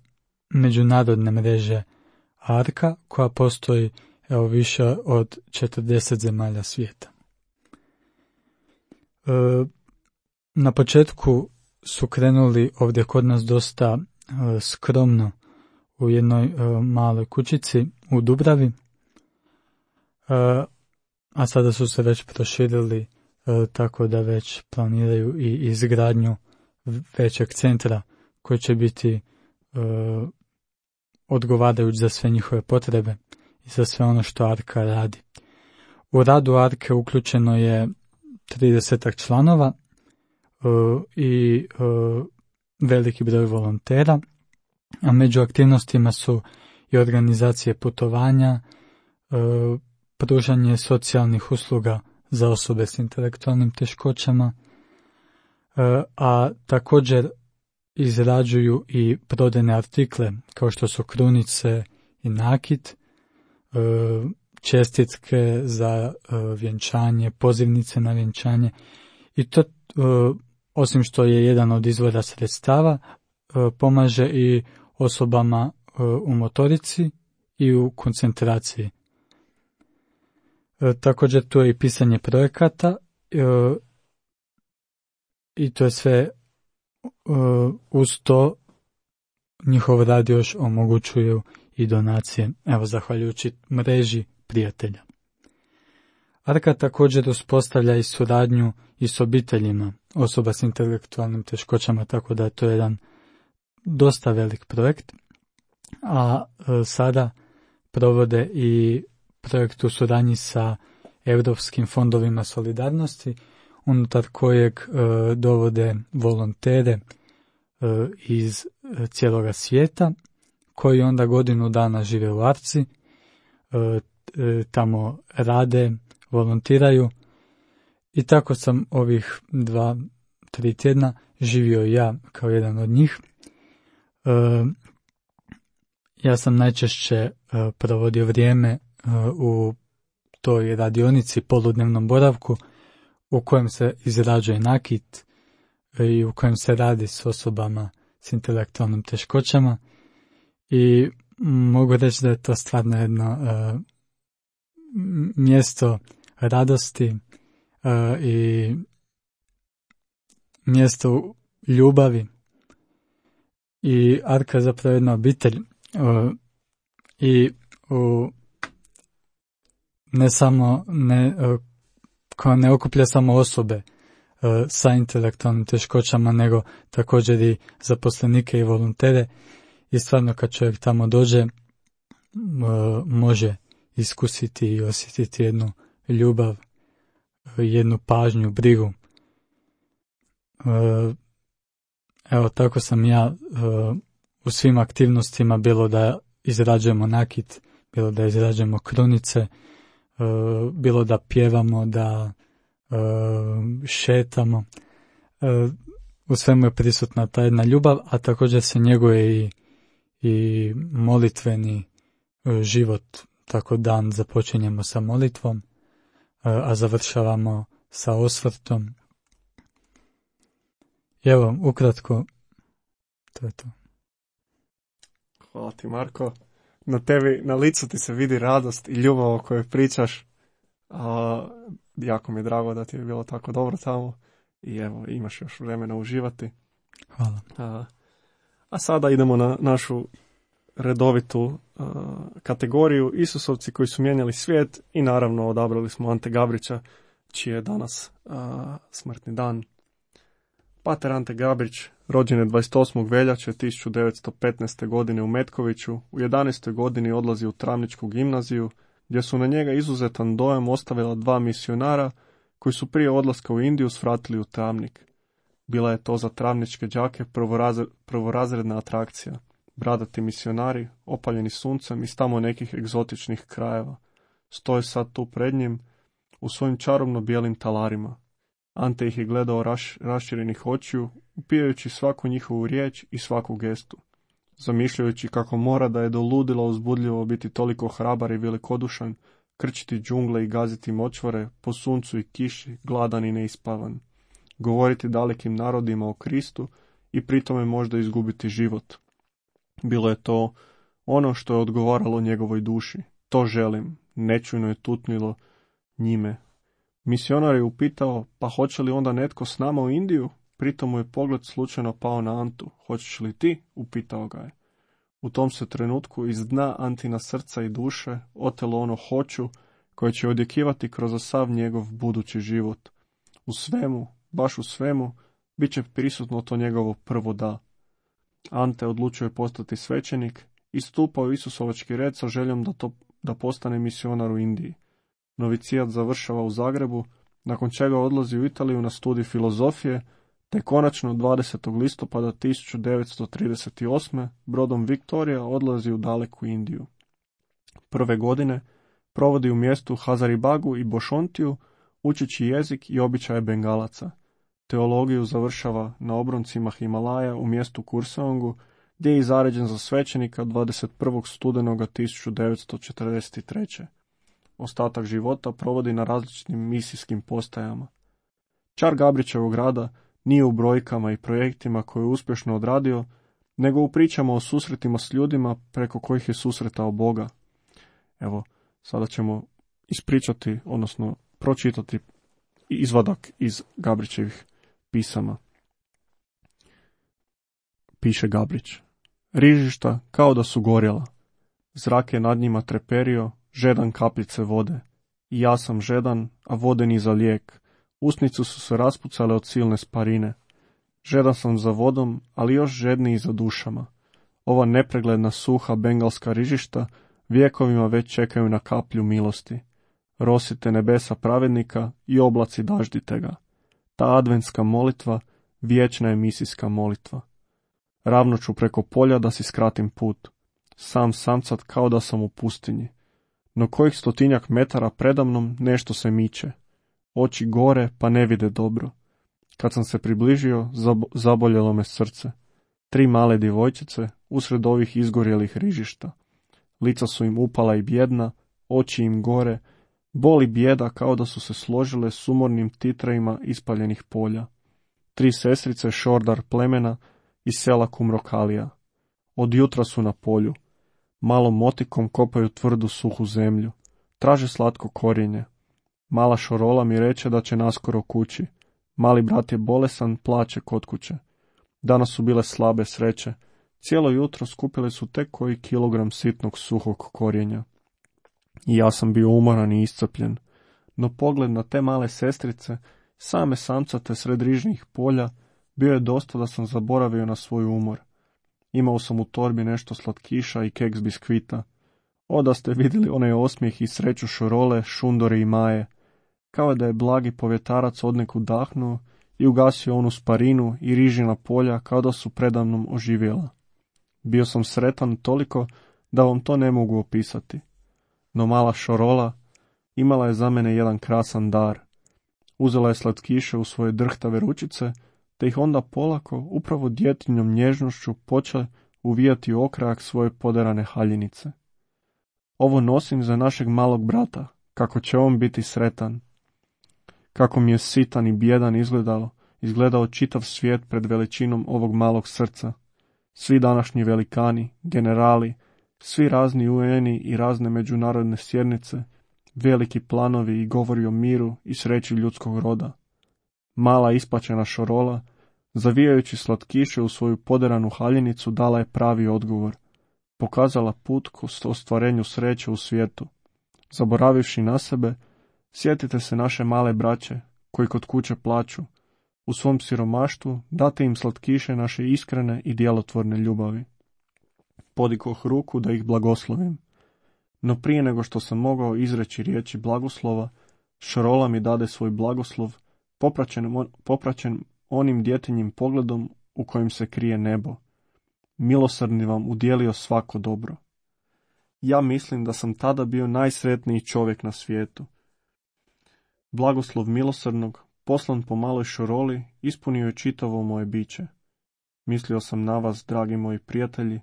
međunarodne mreže Arka koja postoji evo više od četrdeset zemalja svijeta. E, na početku su krenuli ovdje kod nas dosta uh, skromno u jednoj uh, maloj kućici u Dubravi, uh, a sada su se već proširili uh, tako da već planiraju i izgradnju većeg centra koji će biti uh, odgovarajući za sve njihove potrebe i za sve ono što Arka radi. U radu Arke uključeno je tridesetak članova uh, i uh, veliki broj volontera, a među aktivnostima su i organizacije putovanja, uh, pružanje socijalnih usluga za osobe s intelektualnim teškoćama, uh, a također izrađuju i prodajne artikle kao što su krunice i nakit, uh, čestitke za uh, vjenčanje, pozivnice na vjenčanje i to uh, osim što je jedan od izvora sredstava uh, pomaže i osobama uh, u motorici i u koncentraciji. Uh, također tu je i pisanje projekata uh, i to je sve uh, uz to njihov rad još omogućuju i donacije, evo zahvaljujući mreži prijatelja. Arka također uspostavlja i suradnju i s obiteljima osoba s intelektualnim teškoćama, tako da je to jedan dosta velik projekt, a e, sada provode i projekt u suradnji sa Europskim fondovima solidarnosti, unutar kojeg e, dovode volontere e, iz e, cijeloga svijeta, koji onda godinu dana žive u Arci, e, tamo rade, volontiraju i tako sam ovih dva, tri tjedna živio ja kao jedan od njih. E, ja sam najčešće e, provodio vrijeme e, u toj radionici, poludnevnom boravku, u kojem se izrađuje nakit e, i u kojem se radi s osobama s intelektualnim teškoćama i mogu reći da je to stvarno jedno e, mjesto radosti uh, i mjesto ljubavi i Arka je zapravo jedna obitelj uh, i uh, ne samo ne, uh, koja ne okuplja samo osobe uh, sa intelektualnim teškoćama, nego također i zaposlenike i volontere i stvarno kad čovjek tamo dođe uh, može iskusiti i osjetiti jednu ljubav, jednu pažnju, brigu. Evo, tako sam ja u svim aktivnostima, bilo da izrađujemo nakit, bilo da izrađujemo krunice, bilo da pjevamo, da šetamo. U svemu je prisutna ta jedna ljubav, a također se njeguje i, i molitveni život. Tako dan započinjemo sa molitvom, a završavamo sa osvrtom. I evo, ukratko, to je to. Hvala ti, Marko. Na tebi, na licu ti se vidi radost i ljubav o kojoj pričaš. A, jako mi je drago da ti je bilo tako dobro tamo. I evo, imaš još vremena uživati. Hvala. A, a sada idemo na našu redovitu uh, kategoriju Isusovci koji su mijenjali svijet i naravno odabrali smo Ante Gabrića, čiji je danas uh, smrtni dan. Pater Ante Gabrić rođen je dvadeset osmog veljače tisuću devetsto petnaeste. godine u Metkoviću. U jedanaestoj godini odlazi u Travničku gimnaziju, gdje su na njega izuzetan dojam ostavila dva misionara koji su prije odlaska u Indiju svratili u Travnik. Bila je to za travničke đake prvorazred, prvorazredna atrakcija. Bradati misionari, opaljeni suncem iz tamo nekih egzotičnih krajeva, stoje sad tu pred njim u svojim čarobno bijelim talarima. Ante ih je gledao raš, raširenih očiju, upijajući svaku njihovu riječ i svaku gestu, zamišljajući kako mora da je do ludila uzbudljivo biti toliko hrabar i velikodušan, krčiti džungle i gaziti močvare, po suncu i kiši, gladan i neispavan, govoriti dalekim narodima o Kristu i pritome možda izgubiti život. Bilo je to ono što je odgovaralo njegovoj duši. To želim, nečujno je tutnilo njime. Misionar je upitao, pa hoće li onda netko s nama u Indiju? Pritom mu je pogled slučajno pao na Antu. Hoćeš li ti? Upitao ga je. U tom se trenutku iz dna Antina srca i duše otelo ono hoću koje će odjekivati kroz sav njegov budući život. U svemu, baš u svemu, bit će prisutno to njegovo prvo da. Ante odlučio je postati svećenik i stupao u Isusovački red sa željom da, to, da postane misionar u Indiji. Novicijat završava u Zagrebu, nakon čega odlazi u Italiju na studij filozofije, te konačno dvadesetog listopada tisuću devetsto trideset osme. brodom Viktorija odlazi u daleku Indiju. Prve godine provodi u mjestu Hazaribagu i Bošontiju, učeći jezik i običaje Bengalaca. Teologiju završava na obroncima Himalaja u mjestu Kurseongu, gdje je zaređen za svećenika dvadeset prvog studenoga tisuću devetsto četrdeset treće. Ostatak života provodi na različitim misijskim postajama. Čar Gabrićevog rada nije u brojkama i projektima koje je uspješno odradio, nego u pričama o susretima s ljudima preko kojih je susretao Boga. Evo, sada ćemo ispričati, odnosno pročitati izvadak iz Gabrićevih pisama. Piše Gabrić. Rižišta kao da su gorjela. Zrak je nad njima treperio, žedan kapljice vode. I ja sam žedan, a vode ni za lijek. Usnicu su se raspucale od silne sparine. Žedan sam za vodom, ali još žedniji za dušama. Ova nepregledna suha bengalska rižišta vjekovima već čekaju na kaplju milosti. Rosite nebesa pravednika i oblaci daždite ga. Ta adventska molitva vječna je misijska molitva. Ravno ću preko polja da si skratim put. Sam samcat kao da sam u pustinji. No kojih stotinjak metara predamnom nešto se miče. Oči gore pa ne vide dobro. Kad sam se približio, zab- zaboljelo me srce. Tri male djevojčice usred ovih izgorjelih rižišta. Lica su im upala i bjedna, oči im gore, boli bijeda kao da su se složile s umornim titrajima ispaljenih polja. Tri sestrice šordar plemena iz sela Kumrokalija. Od jutra su na polju. Malom motikom kopaju tvrdu suhu zemlju. Traže slatko korijenje. Mala Šorola mi reče da će naskoro kući. Mali brat je bolesan, plače kod kuće. Danas su bile slabe sreće. Cijelo jutro skupile su tek koji kilogram sitnog suhog korijenja. I ja sam bio umoran i iscrpljen. No pogled na te male sestrice, same samcate sred rižnih polja, bio je dosta da sam zaboravio na svoj umor. Imao sam u torbi nešto slatkiša i keks biskvita. O, da ste vidjeli onaj osmijeh i sreću Šorole, Šundore i Maje. Kao da je blagi povjetarac odnekud dahnuo i ugasio onu sparinu i rižina polja kao da su predamnom oživjela. Bio sam sretan toliko da vam to ne mogu opisati. No mala Šorola imala je za mene jedan krasan dar. Uzela je slatkiše u svoje drhtave ručice, te ih onda polako, upravo djetinjom nježnošću, počela uvijati u okrajak svoje poderane haljinice. Ovo nosim za našeg malog brata, kako će on biti sretan. Kako mi je sitan i bijedan izgledalo, izgledao čitav svijet pred veličinom ovog malog srca. Svi današnji velikani, generali, svi razni U N-i i razne međunarodne sjednice, veliki planovi i govori o miru i sreći ljudskog roda. Mala ispačena Šorola, zavijajući slatkiše u svoju poderanu haljinicu, dala je pravi odgovor. Pokazala put k ostvarenju sreće u svijetu. Zaboravivši na sebe, sjetite se naše male braće, koji kod kuće plaću. U svom siromaštvu date im slatkiše naše iskrene i djelotvorne ljubavi. Podikoh ruku da ih blagoslovim. No prije nego što sam mogao izreći riječi blagoslova, Šorola mi dade svoj blagoslov, popraćen, popraćen onim djetinjim pogledom u kojem se krije nebo. Milosrdni vam udjelio svako dobro. Ja mislim da sam tada bio najsretniji čovjek na svijetu. Blagoslov milosrdnog, poslan po maloj Šoroli, ispunio je čitavo moje biće. Mislio sam na vas, dragi moji prijatelji,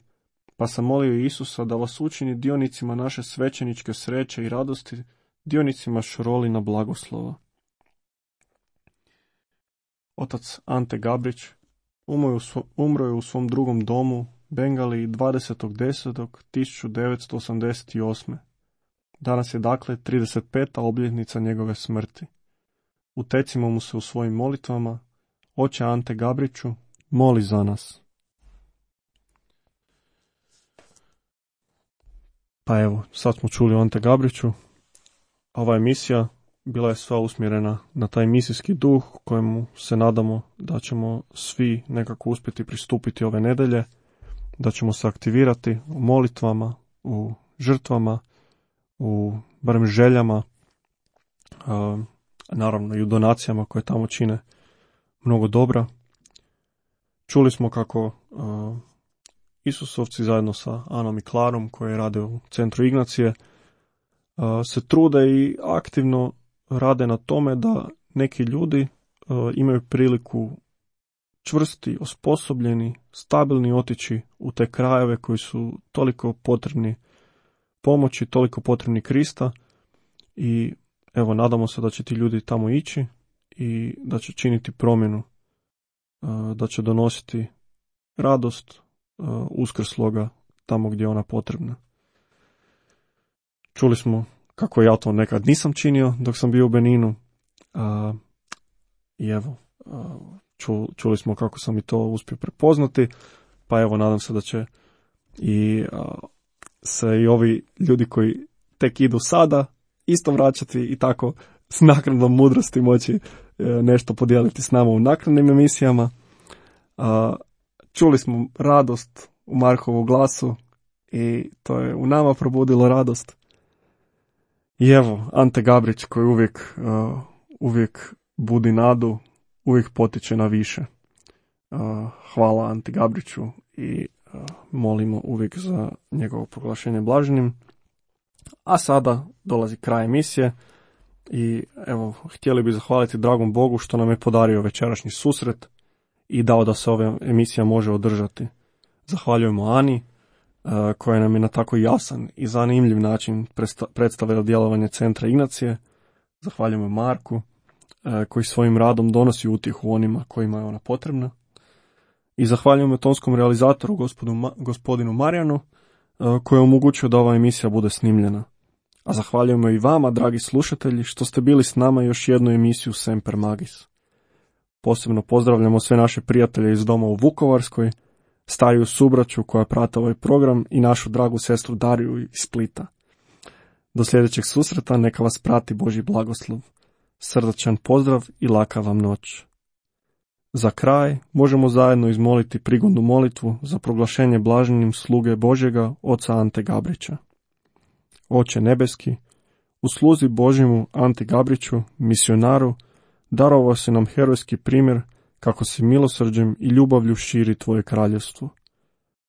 pa sam molio Isusa da vas učini dionicima naše svećeničke sreće i radosti, dionicima Šorolina blagoslova. Otac Ante Gabrić umro je u svom drugom domu, Bengali, dvadesetog desetog tisuću devetsto osamdeset osme. Danas je dakle trideset peta obljetnica njegove smrti. Utecimo mu se u svojim molitvama, Oče Ante Gabriću, moli za nas. Pa evo, sad smo čuli o Ante Gabriću. Ova emisija bila je sva usmjerena na taj misijski duh kojemu se nadamo da ćemo svi nekako uspjeti pristupiti ove nedelje, da ćemo se aktivirati u molitvama, u žrtvama, u barem željama, a, naravno i u donacijama koje tamo čine mnogo dobra. Čuli smo kako a, Isusovci zajedno sa Anom i Klarom koje rade u centru Ignacije a, se trude i aktivno rade na tome da neki ljudi a, imaju priliku čvrsti, osposobljeni, stabilni otići u te krajeve koji su toliko potrebni pomoći, toliko potrebni Krista i evo nadamo se da će ti ljudi tamo ići i da će činiti promjenu, da će donositi radost uskrsloga tamo gdje je ona potrebna. Čuli smo kako ja to nekad nisam činio dok sam bio u Beninu i evo čuli smo kako sam i to uspio prepoznati, pa evo nadam se da će i se i ovi ljudi koji tek idu sada isto vraćati i tako s naknadnom mudrosti moći nešto podijeliti s nama u naknadnim emisijama. Čuli smo radost u Markovu glasu i to je u nama probudilo radost. I evo, Ante Gabrić koji uvijek, uvijek budi nadu, uvijek potiče na više. Hvala Ante Gabriću i molimo uvijek za njegovo proglašenje blaženim. A sada dolazi kraj emisije i evo, htjeli bi zahvaliti dragom Bogu što nam je podario večerašnji susret i dao da se ova emisija može održati. Zahvaljujemo Ani koja nam je na tako jasan i zanimljiv način predstavila djelovanje centra Ignacije. Zahvaljujemo Marku koji svojim radom donosi utjehu onima kojima je ona potrebna. I zahvaljujemo tonskom realizatoru gospodinu, gospodinu Marijanu koji je omogućio da ova emisija bude snimljena. A zahvaljujemo i vama, dragi slušatelji, što ste bili s nama još jednu emisiju Semper Magis. Posebno pozdravljamo sve naše prijatelje iz doma u Vukovarskoj, stariju subraću koja prate ovaj program i našu dragu sestru Dariju iz Splita. Do sljedećeg susreta neka vas prati Božji blagoslov. Srdačan pozdrav i laka vam noć. Za kraj možemo zajedno izmoliti prigodnu molitvu za proglašenje blaženim sluge Božjega oca Ante Gabrića. Oče nebeski, u sluzi Božjemu Ante Gabriću, misionaru, darovao si nam herojski primjer kako se milosrđem i ljubavlju širi tvoje kraljevstvo.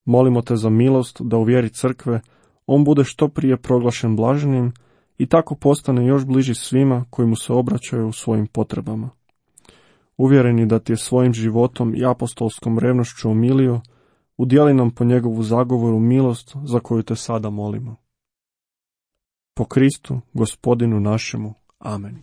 Molimo te za milost da u vjeri crkve on bude što prije proglašen blaženim i tako postane još bliži svima koji mu se obraćaju u svojim potrebama. Uvjereni da ti je svojim životom i apostolskom revnošću omilio, udjeli nam po njegovu zagovoru milost za koju te sada molimo. Po Kristu, Gospodinu našemu. Amen.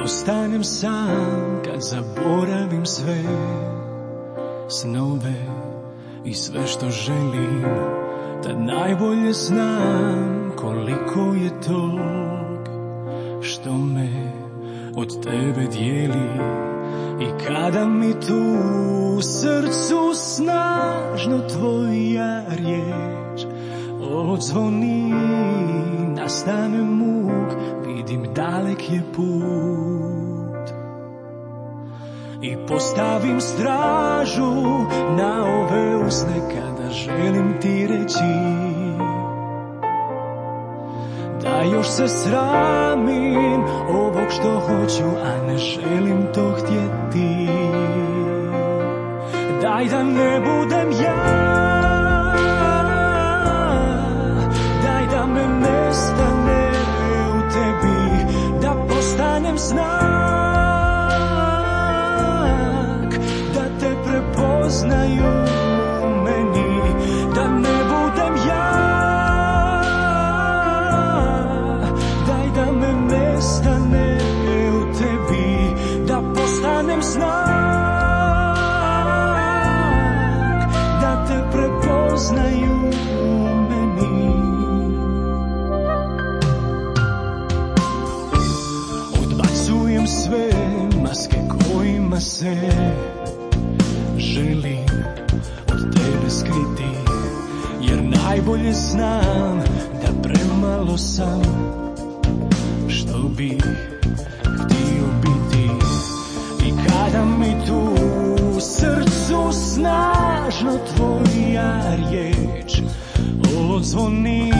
Ostanem sam kad zaboravim sve snove i sve što želim, tad najbolje znam koliko je tog što me od tebe dijeli. I kada mi tu u srcu snažno tvoja riječ odzvoni, nastane muk, vidim dalek je put. I postavim stražu na ove usne kada želim ti reći da još se sramim ovog što hoću, a ne želim to htjeti. Daj da ne budem ja, daj da me nestane u tebi, da postanem znak, da te prepoznaju u meni, da ne budem ja, daj da me najbolje znam da premalo sam što bi htio biti. I kada mi tu u srcu snažno tvoja riječ odzvoni,